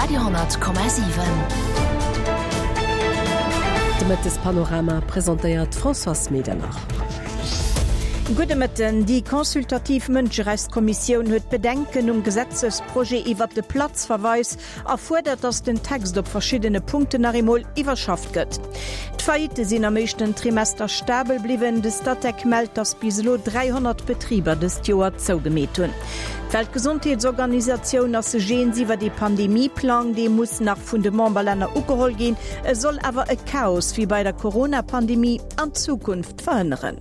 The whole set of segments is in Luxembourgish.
Radio,7. De Mëttespanorama presentéiert d'Françoise Medernach. Gudde Mëtten. Déi consultativ Mënscherechtskommissioun huet Bedenken um Gesetzesprojet iwwert de Platzverweis a fuerdert, datt den Text op verschiddene Punkten nach eemol iwwerschafft gëtt. D'Faillitte sinn am éischten Trimester stabel bliwwen. De Statec mellt, datt bis elo 300 Betriber dëst Joer zougemeet hunn. D'Weltgesondheetsorganisatioun ass sech eens iwwert ee Pandemie-Plang. Dee muss nach vun de Memberlänner ugeholl ginn. E soll awer e Chaos wéi bei der Corona-Pandemie an Zukunft verhënneren.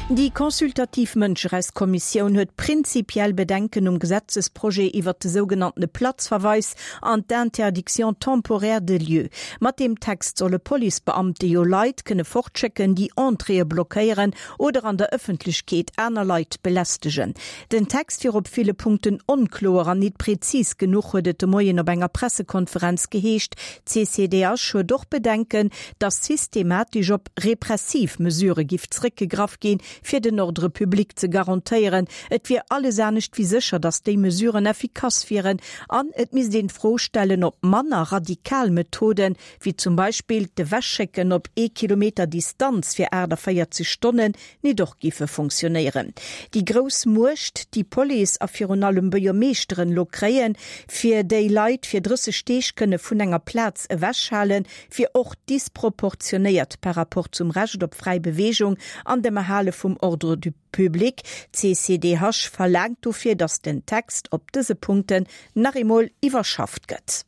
Déi consultativ Mënscherechtskommissioun huet prinzipiell Bedenken um Gesetzesprojet iwwert de sougenanntene Platzverweis an d'Interdiction temporaire de lieu. Mat deem Text solle Policebeamte jo Leit kënne fortschécken, déi Entréeë blockéieren oder an der Ëffentlechkeet aner Leit belästegen. Den Text wier op ville Punkten onkloer an nit präzis genuch, huet et de Moien op enger Pressekonferenz geheescht. D'CCDH huet och Bedenken, datt systematesch op repressiv Mesurë giff zréckgegraff ginn, fir den Ordre public ze garantéieren. Et wier alles anescht wéi sécher, datt déi Mesuren effikass wieren an et misst een d'Fro stellen, ob manner radikal Methoden, wéi zum Beispill d'Ewechschécken op ee Kilometer Distanz fir 48 Stonnen, nit och giffe funktionéieren. Déi grouss Muecht, déi Police a virun allem Buergermeeschteren elo kréien, fir déi Leit fir 30 Deeg kënne vun enger Plaz ewechhalen, wier och disproportionéiert par rapport zum Recht op fräi Beweegung an dem Erhale vum Ordre du public. D'CCDH verlaangt dofir, datt den Text op dëse Punkten nach eemol iwwerschafft gëtt.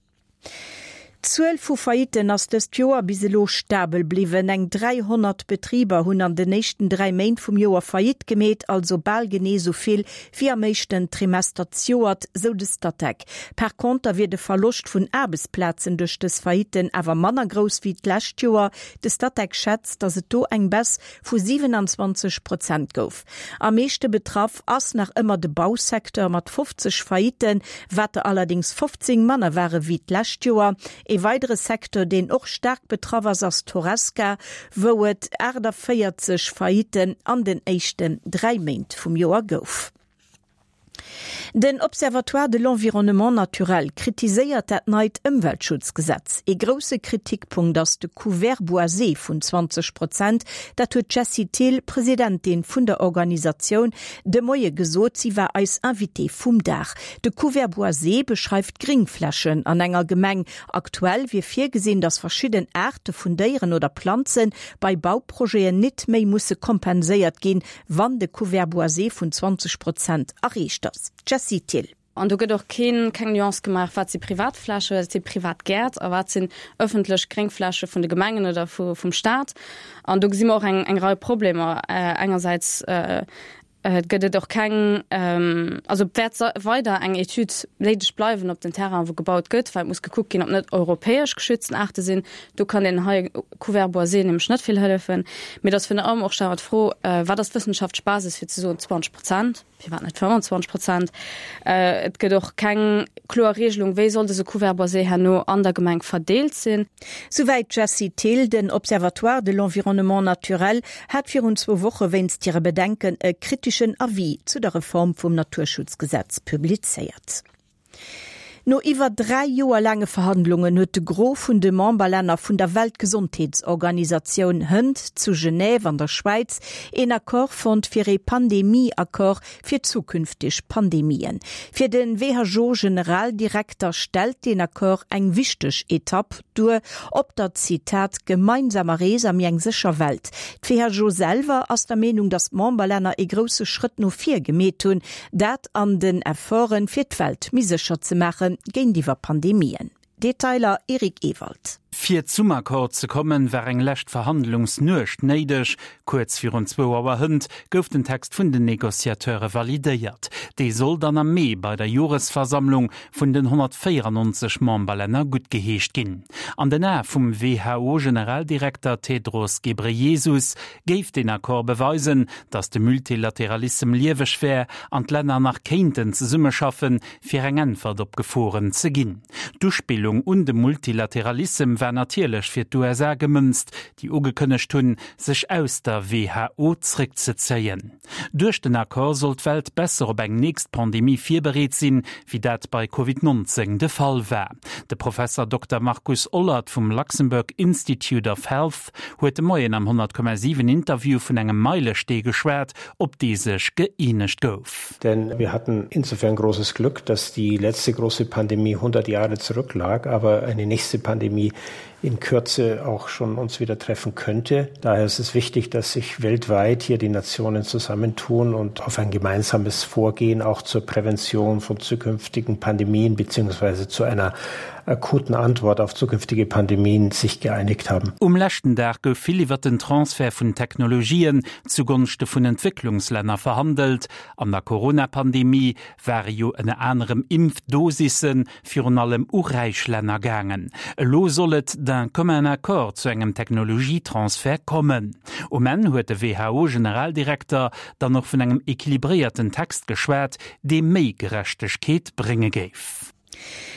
D'Zuel vu Faillitten ass dëst Joer bis elo stabel bliwwen. Eng 300 Betriber hunn an den éischten 3 Méint vum Joer Faillite gemeet, also bal genee esou vill wéi am éischten Trimester zejoert, sou de Statec. Par conter wier de Verloscht vun Aarbechtsplazen duerch dës Faillitten awer manner grouss wéi d'lescht Joer. De Statec schätzt, datt et do eng Baisse vu 27 Prozent gouf. Am meeschte betraff ass nach ëmmer de Bausecteur mat 50 Faillitten, wat der allerdéngs 15 manner ware wéi d'lescht Joer. Ee weidere Secteur, deen och staark betraff ass, ass d'Horesca, wou et 48 Faillitten an den éischten 3 Méint vum Joer gouf. Den Observatoire de l'environnement naturel kritiséiert dat neit Ëmweltschutzgesetz. Ee grousse Kritikpunkt ass de Couvert boisé vun 20 Prozent. Dat huet d'Jessie Thill, Presidentin vun der Organisatioun, de Moie gesot. Si war eis Invitée vum Dag. De Couvert boisé beschreift d'Gringflächen an enger Gemeng. Aktuell wier virgesinn, datt verschidden Aarte vun Déieren oder Planze bei Bauprojeten nit méi musse kompenséiert ginn, wann de Couvert boisé vun 20 Prozent erreecht ass. Jessie Thill. An do gëtt och keen, keng Nuance gemaach, wat si Privatflächen, wat si privat Gäert a wat sinn ëffentlech Gréngfläche vun de Gemengen oder vu, vum Staat. An do gesi mer och eng, eng Rei Problemer. Engersäits gëtt et och keng, also wäert weider eng Etüd néideg bleiwen op den Terrainen, wou gebaut gëtt, well et muss gekuckt ginn, ob net europäesch geschützten Aarte sinn. Do kann deen hei Couvert boisé nämlech net vill hëllefen. Mee et ass virun allem och stelle mer d'Fro, Wat ass d'wëssenschaftlech Basis fir ze soen 20 Prozent, firwat net 25 Prozent? Et gëtt och keng kloer Regelung, wéi soll dëse Couvert boisé herno an der Gemeng verdeelt sinn. Souwäit d'Jessie Thill. Den Observatoire de l'environnement naturel hat virun zwou Woche wéinst hire Bedenken e kriteschen Avis zu der Reform vum Naturschutzgesetz publizéiert. No iwwer 3 Joer laange Verhandlungen huet de Gros vun de Memberlänner vun der Weltgesondheetsorganisatioun hënt zu Genève an der Schwäiz een Accord fonnt fir ee Pandemie-Accord fir zukünfteg Pandemien. Fir de WHO-Generaldirekter stellt deen Accord eng wichteg Etapp duer op der, Zitat, gemeinsamer Rees a méi eng sécher Welt. D'WHO selwer ass der Meenung, datt d'Memberlänner ee grousse Schrëtt no vir gemeet hunn, dat an den Efforten, fir d'Welt méi sécher ze maache géintiwwer Pandemien. Detailer Eric Ewald. Fir zum Accord ze kommen, war eng lescht Verhandlungsnuecht néideg. Kuerz virun zwou Auer hënt gouf den Text vun den Negociateure validéiert. Dee soll dann am Mee bei der Joresversammlung vun den 194 Memberlänner guttgeheescht ginn. An den Ae vum WHO-Generaldirekter Tedros Ghebreyesus géif deen Accord beweisen, datt de Multilateralissem lieweg wär an d'Länner nach kéinten zesummeschaffen, fir eng Äntwert op Geforen ze ginn. D'Uspillung un de Multilateralissem war natierlech fir d'USA gemënzt, déi ugekënnegt hunn, sech aus der WHO zréckzezéien. Duerch den Accord soll d'Welt besser op eng. nächst Pandemie virbereet sinn, wéi dat bei Covid 19 de Fall war. De Professer Dokter Markus Ollert vum Luxembourg Institute of Health huet de Moien am 100,7 Interview vun engem Meilestee geschwat, op dee sech gëeenegt gouf. Denn wir hatten insofern großes Glück, dass die letzte große Pandemie 100 Jahre zurücklag, aber eine nächste Pandemie in Kürze auch schon uns wieder treffen könnte. Daher ist es wichtig, dass sich weltweit hier die Nationen zusammentun und auf ein gemeinsames Vorgehen auch zur Prävention von zukünftigen Pandemien bzw. zu einer akuten Antwort auf zukünftige Pandemien sich geeinigt haben. Um leschten Dag gouf vill iwwer den Transfert vun Technologien zugonschte vun Entwécklungslänner verhandelt. An der Corona-Pandemie ware jo ënner anerem Impfdosisse virun allem u räich Länner gaangen. Elo soll et d'un commun accord zu engem Technologietransfert kommen. Um Enn huet de WHO-Generaldirekter dann och vun engem equilibréierten Text geschwat, dee méi Gerechtegkeet brénge géif.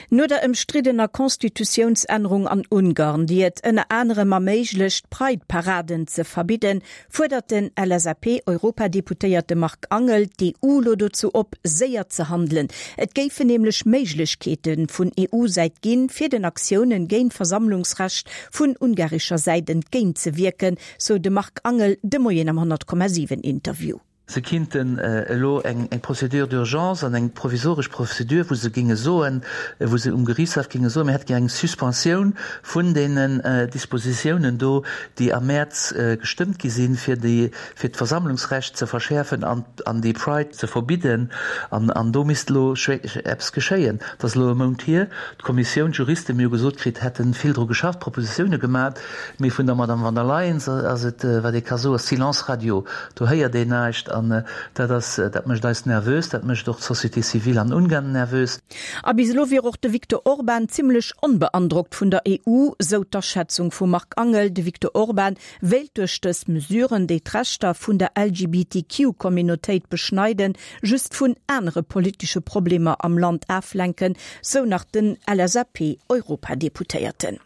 No der ëmstriddener Constitutiounsännerung an Ungarn, déi et ënner anerem erméiglecht, Pride-Paraden ze verbidden, fuerdert den LSAP-Europadeputéierte Marc Angel d'EU lo dozou op, séier ze handelen. Et géifen nämlech Méiglechkeete vun EU-Säit ginn, fir den Aktiounen géint d'Versammlungsrecht vun ungarescher Säit entgéint ze wierken, sou de Marc Angel de Moien am 100,7 Interview. Se kinnten elo eng Procédure d'urgence an eng provisoresch Procédure, wou se géinge soen, wou se um Geriichtshaff géinge soen, mir hätte gär eng Suspensioun vun deenen Dispositiounen do, déi am Mäerz gestëmmt gi sinn, fir déi, fir d'Versammlungsrecht ze verschäerfen an, an déi Pride ze verbidden. An, an do misst elo eppes geschéien. Et ass elo e Mount hier. D'Kommissioun, d'Juristen, mir hu gesot kritt, hätte vill dru geschafft, Propositioune gemat. Mee vun der Madame von der Leyen ass et, wat ee ka soen, Silence radio. Do héiert een näischt an dat ass, dat mécht eis nervös, dat mécht och d'Société civile an Ungarn nervös. A bis elo wier och de Viktor Orban zimmlech onbeandrockt vun der EU, sou d'Aschätzung vum Marc Angel. De Viktor Orban wéilt duerch dës Mesuren, déi d'Rechter vun der LGBTQ-Communautéit beschneiden, just vun anere politesche Problemer am Land aflenken, sou nach den LSAP-Europadeputéierten.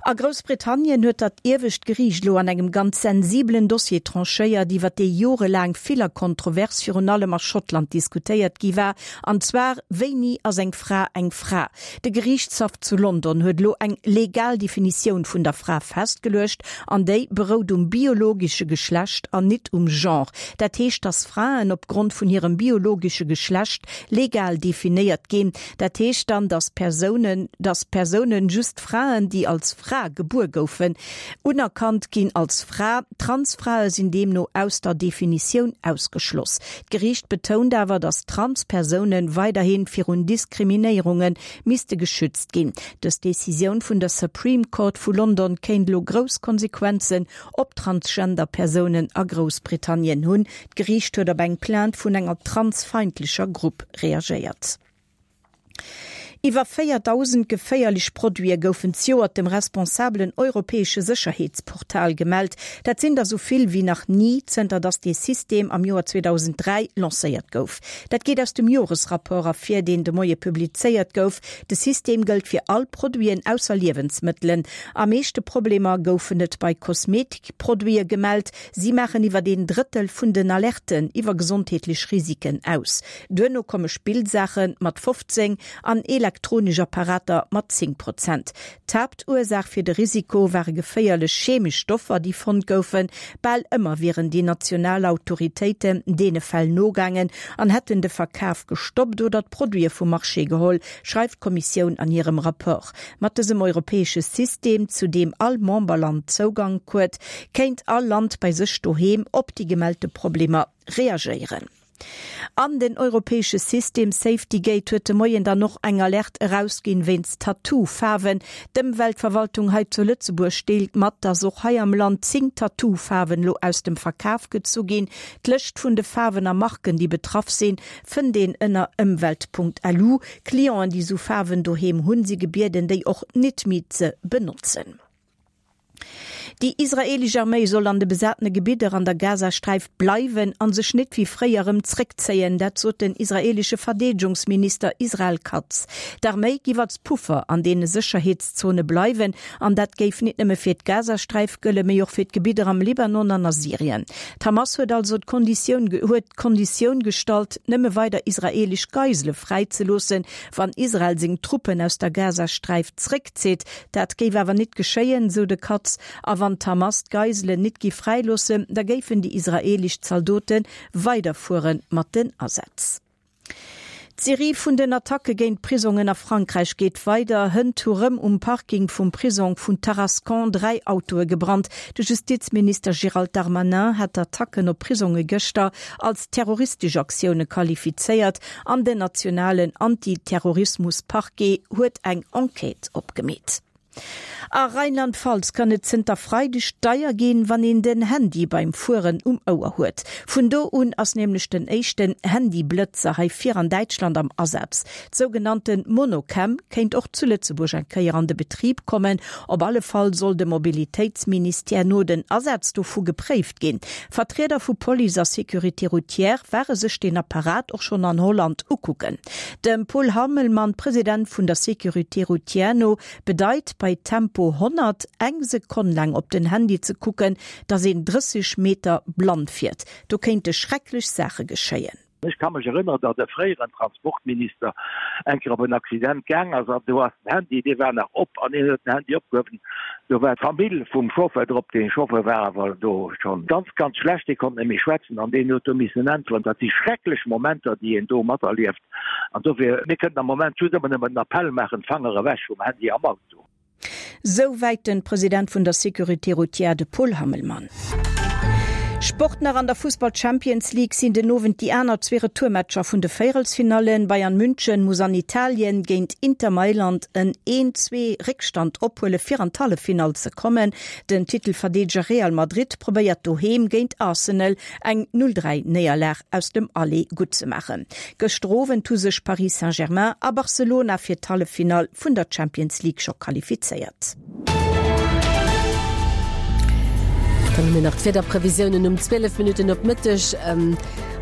A Groussbritannien huet dat iewescht Geriicht elo an engem ganz sensibelen Dossier tranchéiert, iwwer dee jorelaang vill a kontrovers virun allem a Schottland diskutéiert gi war, an zwar, Wéini ass eng Fra eng Fra? De Geriichtshaff zu London huet elo eng legal Definitioun vun der Fra festgeluecht, an déi berout um biologesche Geschlecht an nit um Genre. Dat heescht, dass Fraen opgrond vun hirem biologesche Geschlecht legal definéiert ginn. Dat heescht dann, dass Persounen, dass Persounen, just Fraen, déi als Fra gebuer goufen, unerkannt ginn als Fra. Transfrae sinn deemno aus der Definitioun ausgeschloss. D'Geriicht betount awer, dass Transpersoune weiderhi virun Diskriminéierunge misste geschützt ginn. Dës Decisioun vun der Supreme Court vu London kéint elo grouss Konsequenzen op Transgender-Persounen a Groussbritannien hunn. D'Geriicht huet op eng Plainte vun enger transfeindlecher Grupp reagéiert. Iwwer 4.000 geféierlech Produite goufen zejoert dem responsabelen europäesche Sécherheetsportal gemellt. Dat sinn der sou vill wéi nach ni, zënter datt dee System am Joer 2003 lancéiert gouf. Dat geet aus dem Joresrapport ervir, deen de Moie publizéiert gouf. De System gëllt fir all Produiten ausser Liewensmëttelen. Am meeschte Problemer goufen et bei Kosmetikproduite gemellt. Si maachen iwwer een Drëttel vun den Alerten iwwer gesondheetlech Risiken aus. Duerno komme Spillsaache mat 15 an elektronesch Apparater mat 10 Prozent. D'Haaptursaach fir de Risiko ware geféierlech chemesch Stoffer, déi fonnt goufen. Bal ëmmer wieren déi national Autoritéiten deene Fäll nogaangen an hätten de Verkaf gestoppt oder d'Produite vum Marché geholl, schreift d'Kommissioun an hirem Rapport. Mat dësem europäesche System, zu deem all Memberland Zougank huet, kéint all Land bei sech doheem op déi gemellte Problemer reagéieren. An den europäesche System Safety Gate huet de Moien dann och eng Alerte erausginn wéinst Tattoo-Faarwen. D'Ëmweltverwaltung hei zu Lëtzebuerg deelt mat, dass och hei am Land 10 Tattoo-Faarwen elo aus dem Verkaf gezu ginn. D'Lëscht vun de Faarwen a Marken, déi betraff sinn, fënnt een ënner ëmwelt.lu. Clienten, déi sou Faarwen doheem hunn, si gebieden, déi och nit méi ze benotzen. Déi israeelesch Arméi soll an de besatene Gebidder an der Gazasträif bleiwen a sech net wéi fréier erëm zréckzéien. Dat sot den israeelesche Verdeedegungsminister Israel Katz. D'Arméi giff als Puffer an deene Sécherheetszone bleiwen an dat géif nit nëmme fir d'Gazasträif gëllen, mee och fir d'Gebidder am Libanon an a Syrien. D'Hamas huet also d'Konditioun huet d'Konditioun gestallt, nëmme weider israeelesch Geisele fräizeloossen, wann Israel seng Truppen aus der Gazasträif zréckzitt. Dat géif awer nit geschéien, sou de Katz. A wann d'Hamas d'Geiselen nit giff fräiloossen, da géifen déi israeelesch Zaldote weiderfuere mat den Asätz. D'Serie vun den Attacke géint Prisongen a Frankräich geet weider. Hënt hu rëm um Parking vum Prisong vun Tarascon 3 Autoe gebrannt. De Justizminister Gérald Darmanin hat d'Attacken op Prisonge gëschter als terroristesch Aktioune qualifizéiert an den nationalen Anti-Terrorismus-Parquet huet eng Enquête opgemeet. A Rheinland-Pfalz kann et zënter Freideg deier ginn, wann een den Handy beim Fueren um Ouer huet. Vun do un ass nämlech den éischten Handy-Blëtzer hei vir an Däitschland am Asaz. D'sougenannte Monocam kéint och zu Lëtzebuerg eng Kéier an de Betrib kommen. Op alle Fall soll dem Mobilitéitsministère no den Asaz dovu gepréift ginn. Vertrieder vu Police a Sécurité routière ware sech deen Apparat och schonn an Holland ukucken. Dem Paul Hammelmann, President vun der Sécurité routière no, bedeit bei Tempo 100 eng Sekonn laang op den Handy ze kucken, datt een 30 Meter blann fiert. Do kéinte schrecklech Saache geschéien. Ech ka mech erënneren, datt e fréieren Transportminister eng Kéier op en Accident gaang ass an do ass den Handy, dee war nach op an hien huet den Handy opgehuewen, do war d'Famill vum Chauffeur drop. Dee Chauffeur war awer do schonn ganz, ganz schlecht, dee konnt net méi schwätzen an deen huet do missen äntweren. Dat si schrecklech Momenter, déi een do materlieft an dofir, mir kënnen am Moment just ëmmer nëmmen den Appell maachen, Fanger ewech vum Handy am Auto. Sou wäit den President vun der Sécurité routière, de Paul Hammelmann. Sport nach, An der Fussball-Champions League sinn den Owend déi aner zwee Retourmatcher vun de Véierelsfinallen. Bayern München muss an Italien géint Inter Mailand en een zwee Réckstand ophuele fir an d'Halleffinall ze kommen. Den Titelverdeedeger Real Madrid probéiert doheem géint Arsenal eng 0 3 Néierlag aus dem Aller gutt ze maachen. Gëschter Owend hu sech Paris Saint-Germain a Barcelona fir d'Halleffinall vun der Champions League scho qualifizéiert. Dann hu mir nach d'Wiederprevisiounen um 12 Minutten op Mëtteg.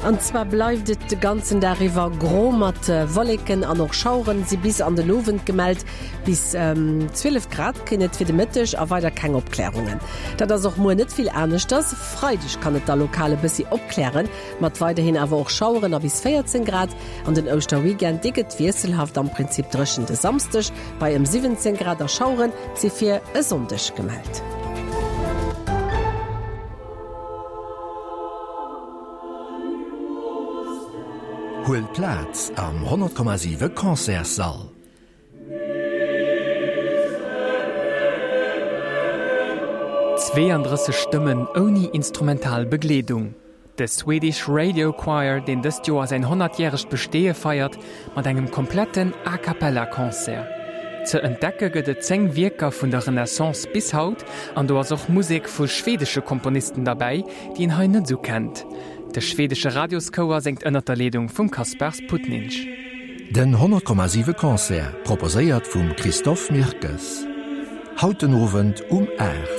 An zwar bleift et de ganzen Dag iwwer gro mat Wolleken an och Schaueren si bis an den Owend gemellt. Bis 12 Grad kréien et fir de Mëtteg a weider keng Opklärungen. Dat ass och muer net vill aneschters. Freideg kann et da lokal e bëssi opklären, mat weiderhin awer och Schaueren a bis 14 Grad. An den Ouschterweekend, dee gëtt wiesselhaft, am Prinzip dréchen de Samsdeg bei ëm 17 Grad a Schauere si fir e Sonndeg gemellt. Huel Plaz am 100,7 Concertssall. 32 Stëmmen ouni instrumental Begleedung. De Swedish Radio Choir, deen dëst Joer säin 100-järegt Besteeë feiert, mat engem kompletten A Cappella Concert. Ze entdecke gëtt et 10 Wierker vun der Renaissance bis haut, an do ass och Musek vu schwedesche Komponisten derbäi, déi een hei net esou kennt. De schwedesche Radioschouer séngt ënnert der Leedung vum Kaspars Putnins. Den 100,7 Concert, proposéiert vum Christophe Mirkes. Haut den Owend um 8.